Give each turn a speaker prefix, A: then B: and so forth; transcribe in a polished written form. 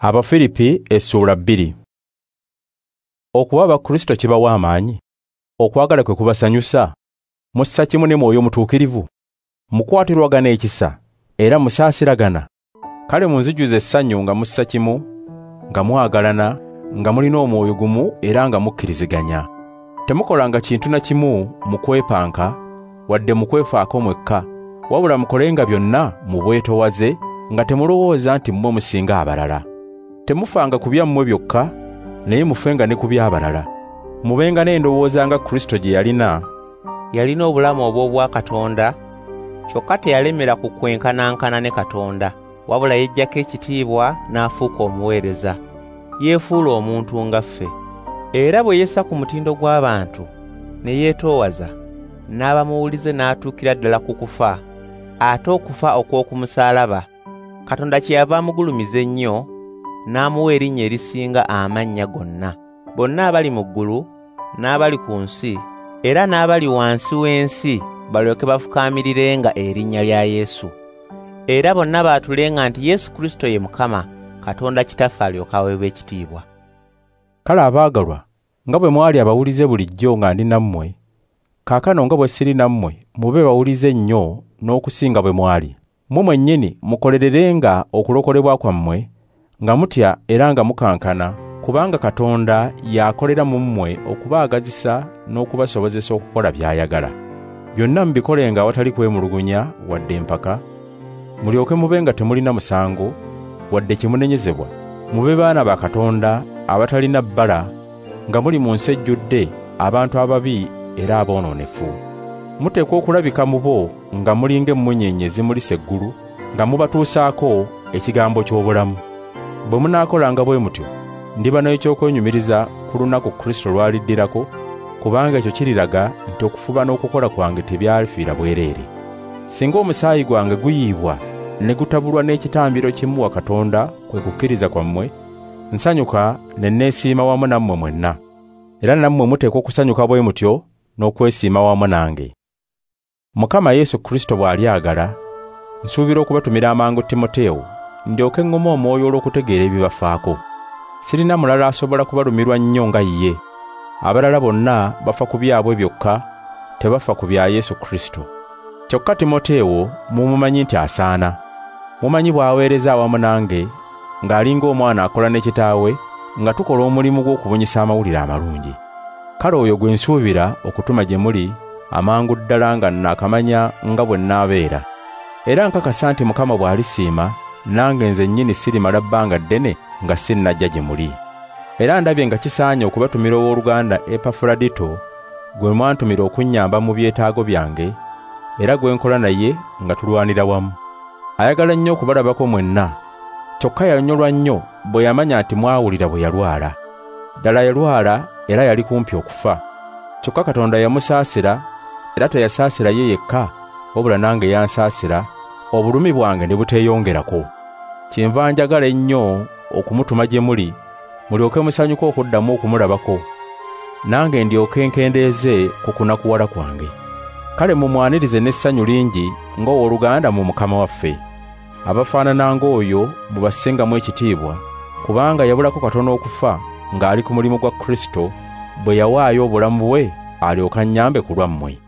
A: Abafilipi essuula 2. Okuba Abakristo kibawa amaanyi, okwagala kwe kubasanyusa, mussa kimu ne Mwoyo Mutuukirivu, mukwatirwagana ekisa era musaasiragana. Kale munzijuze essanyu nga mussa kimu, nga mwagalana, nga mulina omwoyo gumu era nga mukkiriziganya. Temukolanga kintu na kimu mu kwepanka wadde mu kwefaako mwekka, wabula mukolenga byonna mu bwetoowaze nga temulowooza nti mmwe musinga abalala. Temufanga ku byammwe byokka, naye mufenga ne ku by'abalala. Mubenga n'endowooza nga Kristo gye yalina.
B: Yalina obulamu obw'obwakatonda, kyokka teyalemera ku kwenkanankana ne Katonda, wabula yeggyako ekitiibwa n'afuuka omuweereza. Yeefuula omuntu nga ffe. Era bwe yessa ku mutindo gw'abantu, ne yeetoowaza, n'aba muwulize n'atuukira ddala ku kufa, ate okufa okw'oku musaalaba. Katonda kyeyava amugulumiza ennyo, n'amuwa erinnya erisinga amannya gonna. Bonna abali mu ggulu, n'abali ku nsi, era n'abali wansi w'ensi balyoke bafukaamirirenga erinnya lya Yesu. Era bonna baatulenga nti Yesu Kristo ye Mukama, Katonda Kitaffe alyoke aweebwe ekitiibwa.
A: Kale abaagalwa, nga bwe mwali abawulize bulijjo nga ndi nammwe, kaakano nga bwe siri nammwe mube bawulize nnyo n'okusinga bwe mwali. Mmwe mwennyini mukolererenga okulokolebwa kwammwe nga mutya era nga mukankana, kubanga Katonda y'akolera mu mmwe okubaagazisa n'okubasobozesa okukola by'ayagala. Byonna mubikolenga awatali kwemulugunya wadde empaka, mulyoke mube nga temulina musango wadde kimunenyezebwa. Mube baana ba Katonda abatalina bbala, nga muli mu nsi ejjudde abantu ababi era aboonoonefu. Muteekwa okulabika mu bo nga muli ng'emmunyeenye ezimulisa eggulu, nga mubatuusaako ekigambo ky'obulamu. Bwe munaakolanga bwe mutyo, ndiba n'ekyokwenyumiriza ku lunaku Kristo lw'aliddirako, kubanga ekyo kiriraga nti okufuba n'okukola kwange tebyafiira bwereere. Singa omusaayi gwange guyiibwa ne gutabulwa n'ekitambiro kimuwa Katonda kwe kukkiriza kwammwe, nsanyuka ne neesiima wamu nammwe mwenna. Era nammwe muteekwa okusanyuka bwe mutyo n'okwesiima wamu nange. Mukama Yesu Kristo bw'alyagala, nsuubira okubatumira amangu Timoteewo, ndyoke ŋŋume omwoyo olw'okutegeera ebibafaako. Sirina mulala asobola kubalumirwa nnyo nga ye. Abalala bonna bafa ku byabwe byokka, tebafa ku bya Yesu Kristo. Kyokka Timoteewo mumumanyi nti asaana. Mumanyi bw'aweereza awamu nange, ng'alinga omwana akola ne kitaawe, nga tukola omulimu gw'okubunyisa amawulire amalungi. Kale oyo gwe nsuubira okutuma gye muli amangu ddala nga naakamanya nga bwe nnaabeera. Era nkakasa nti Mukama bw'alisiima, nange nze nnyini sirimala bbanga ddene nga sinnajja gye muli. Era ndabye nga kisaanye okubatumira owooluganda Epafuladito, gwe mwantumira okunnyamba mu byetaago byange, era gwe nkola naye nga tulwanira wamu. Ayagala nnyo okubalabako mwenna, kyokka yanyolwa nnyo bwe yamanya nti mwawulira bwe yalwala. Ddala yalwala era yali kumpi okufa. Kyokka Katonda yamusaasira, era teyasaasira ye yekka, wabula nange yansaasira, obulumi bwange ne buteeyongerako. Kyenva njagala ennyo okumutuma gye muli, mulyoke musanyuke okuddamu okumulabako, nange ndyoke nkendeeze ku kunakuwala kwange. Kale mumwanirize n'essanyu lingi ng'owooluganda mu Mukama waffe. Abafaanana ng'oyo mubassengamu ekitiibwa, kubanga yabulako katono okufa ng'ali ku mulimu gwa Kristo, bwe yawaayo obulamu bwe alyoke annyambe ku lwammwe.